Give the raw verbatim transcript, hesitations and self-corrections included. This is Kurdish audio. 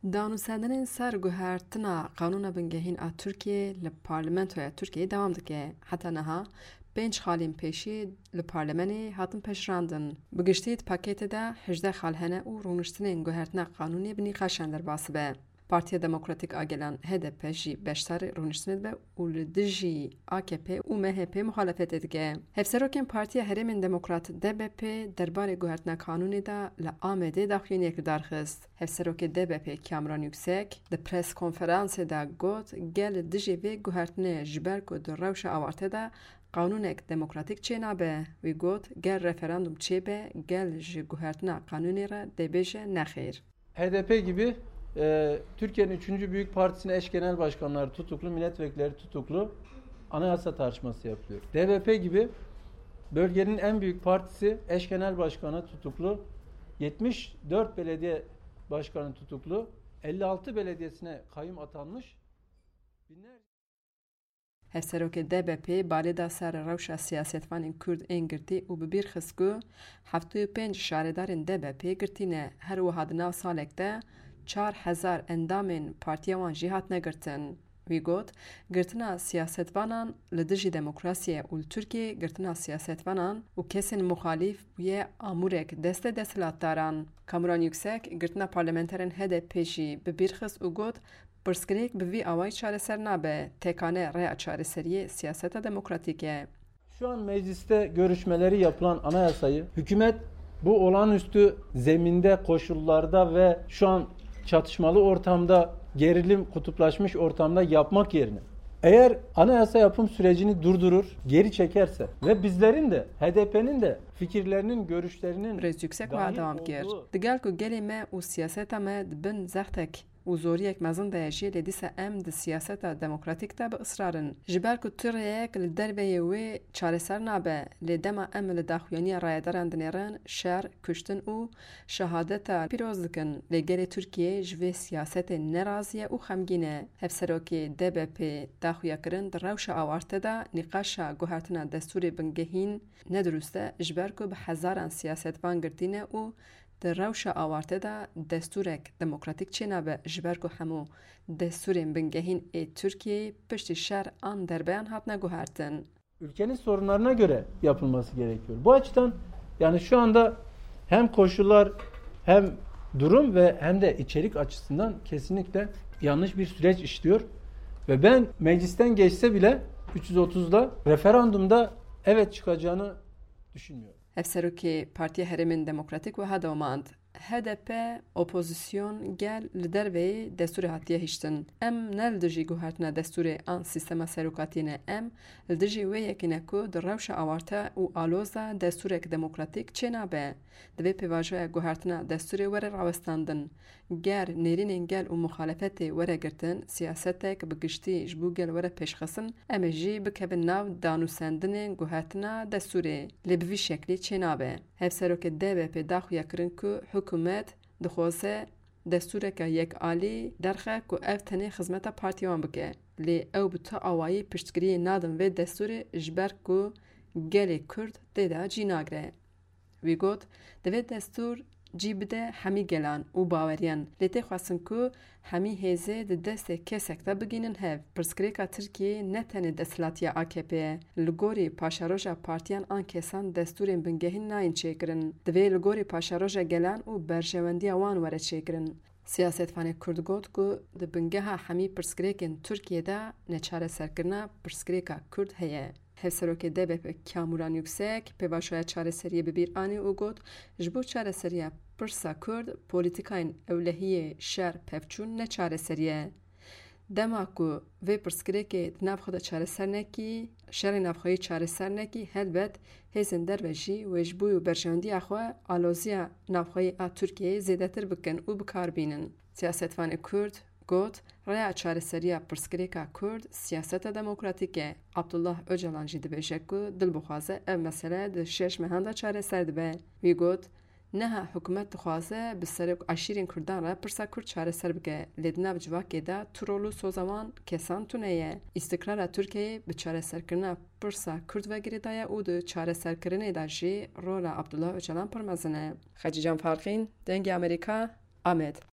Danûsendinên ser guhertina qanûna bingehîn a Tirkiyê li Parlamentoya Tirkiyeyê dewam dike. Heta niha pênc xalên pêşî li Parlemenê hatin pejirandin. Bi giştî di paketê de hejdeh xal hene û rûniştinên guhertina qanûnê bi nîqaşan derbas dibe. Partiya Demokratîk a Gelan, H D P, jî beşdarî rûniştinê dibe û li dijî A K P û M H P muxalefetê dike. Hevserokên Partiya Herêmên Demokrat, D B P, derbarê guhertina qanûnê de li Amedê daxuyaniyek li dar xist. Hevserokê D B P Kamran Yüksek di pres konferansê de got, gel li dijî vê guhertinê, ji ber ku di rewşa awarte de qanûnek demokratîk çênabe. Wî got, ger referandum çêbe, gel ji guhertina qanûnê re dê bêje nexêr. H D P gibi e, Türkiye'nin üçüncü büyük partisinin eş genel başkanları tutuklu, milletvekilleri tutuklu, anayasa tartışması yapılıyor. D B P gibi bölgenin en büyük partisi eş genel başkanı tutuklu, yetmiş dört belediye başkanı tutuklu, elli altı belediyesine kayyum atanmış, binlerce Hevserokê D B P balê da ser rewşa siyasetvanên Kurd ên girtî û bi bîr xist ku heftê û pênc şaredarên D B P girtî ne, her wiha di nav salek de çar hezar endamên partiya wan jî hatine girtin. Wî got, girtina siyasetvanan li dijî demokrasiyê û li Tirkiyê girtina siyasetvanan û kesên muxalîf bûye amûrek destê desthilatdaran. Kamuran Yüksek girtina parlamenterên H D P jî bi bîr xist û got, pirsgirêk bi vî awayî çareser nabe, tekane rêya çareseriyê siyaseta demokratîk e. Şu an mecliste görüşmeleri yapılan anayasayı hükümet bu olağanüstü zeminde, koşullarda ve şu an çatışmalı ortamda, gerilim, kutuplaşmış ortamda yapmak yerine eğer anayasa yapım sürecini durdurur, geri çekerse ve bizlerin de, H D P'nin de fikirlerinin, görüşlerinin Birêz Yüksek wiha dewam kir. Digel ku gelê me û siyaseta me di bin zextek û zoriyek mezin de ye jî, lê dîsa em di siyaseta demokratîk de bi israr in. Ji ber ku tu rêyek li derveyê wê çareser nabe, lê dema em li daxuyaniya rayedaran dinêrin, şer, kuştin û şehadeta pîroz dikin. Lê gelê Tirkiyê ji vê siyasetê nerazî ye û xemgîn e. Hevserokê D B P daxuya kirin di rewşa awarte de nîqaşa guhertina destûrê bingehîn ne dirust e, ji ber ku bi hezaran siyasetvan girtî ne û di rewşa awarte de destûrek demokratîk çênabe, ji ber ku hemû destûrên bingehîn ê Tirkiyeyê piştî şer an derbeyan hatine guhertin. Ülkenin sorunlarına göre yapılması gerekiyor. Bu açıdan yani şu anda hem koşullar hem durum ve hem de içerik açısından kesinlikle yanlış bir süreç işliyor. Ve ben meclisten geçse bile üç yüz otuzda referandumda evet çıkacağını düşünmüyorum. Hevserokê Partiya Herêmên Demokratîk wiha domand, H D P, opozîsyon, gel li derveyî destûrê hatiye hiştin. Em ne li dijî guhertina destûrê an sîstema serokatiyê ne, em li dijî wê yekê ne ku di rewşa awarte û aloz de destûrek demokratîk çênabe. Divê pêvajoya guhertina destûrê were rawestandin. Ger nêrînên gel û muxalefetê were girtin, siyasetek bi giştî ji bo gel were pêşxistin, em ê jî bikevin nav danûsendinên guhertina destûrê. Lê bi vî şeklî çênabe. Hevserokê D B P daxuya kirin ku hikûmet dixwaze destûreke yekalî derxe ku ev tenê xizmeta partiya wan bike. Lê ew bi tu awayî piştgiriyê nadin vê destûrê, ji ber ku gelê Kurd tê de cî nagire. Wî got, divê destûr cî bide hemî gelan û baweriyan, lê tê xwestin ku hemî hêzê di destê kesek de bigihînin hev. Pirsgirêka Tirkiyeyê ne tenê desthilatiya A K P ye. Li gorî paşeroja partiyan an kesan destûrên bingehîn nayên çêkirin. Divê li gorî paşeroja gelan û berjewendiya wan were çêkirin. Siyasetvanê Kurd got ku di bingeha hemî pirsgirêkên Tirkiyê de neçareserkirina pirsgirêka Kurd heye. Hevserokê D B P Kamuran Yüksek pêvajoya çareseriyê bi bîr anî û got, ji bo çareseriya pirsa Kurd, polîtîkayên ewlehiyê şer pevçûn ne çareserî ye. Dema ku vê pirsgirêkê di nav xwe de çareser nekî, şerê navxweyî çareser nekî, helbet hêzên derve jî wê ji bo berjewendiya xwe aloziya navxweyî a Tirkiyeyê zêdetir bikin û bi kar bînin. Siyasetvanê Kurd got, rêya çareseriya pirsgirêka Kurd siyaseta demokratîk e. Abdullah Ocalan jî dibêje ku dil bixwaze ev mesele di şeş mehan de çareser dibe. Wî got, niha hikûmet dixwaze bi serok eşîrên Kurdan re pirsa Kurd çareser bike, lê di nav civakê de tu rol û soza wan kesan tune ye. Îstikrara Tirkiyeyê bi çareserkirina pirsa Kurd ve girêdaye û di çareserkirinê de jî rola Abdullah Ocalan pir mezin e. Xecîcan Farqîn, Dengê Amerîka, Amed.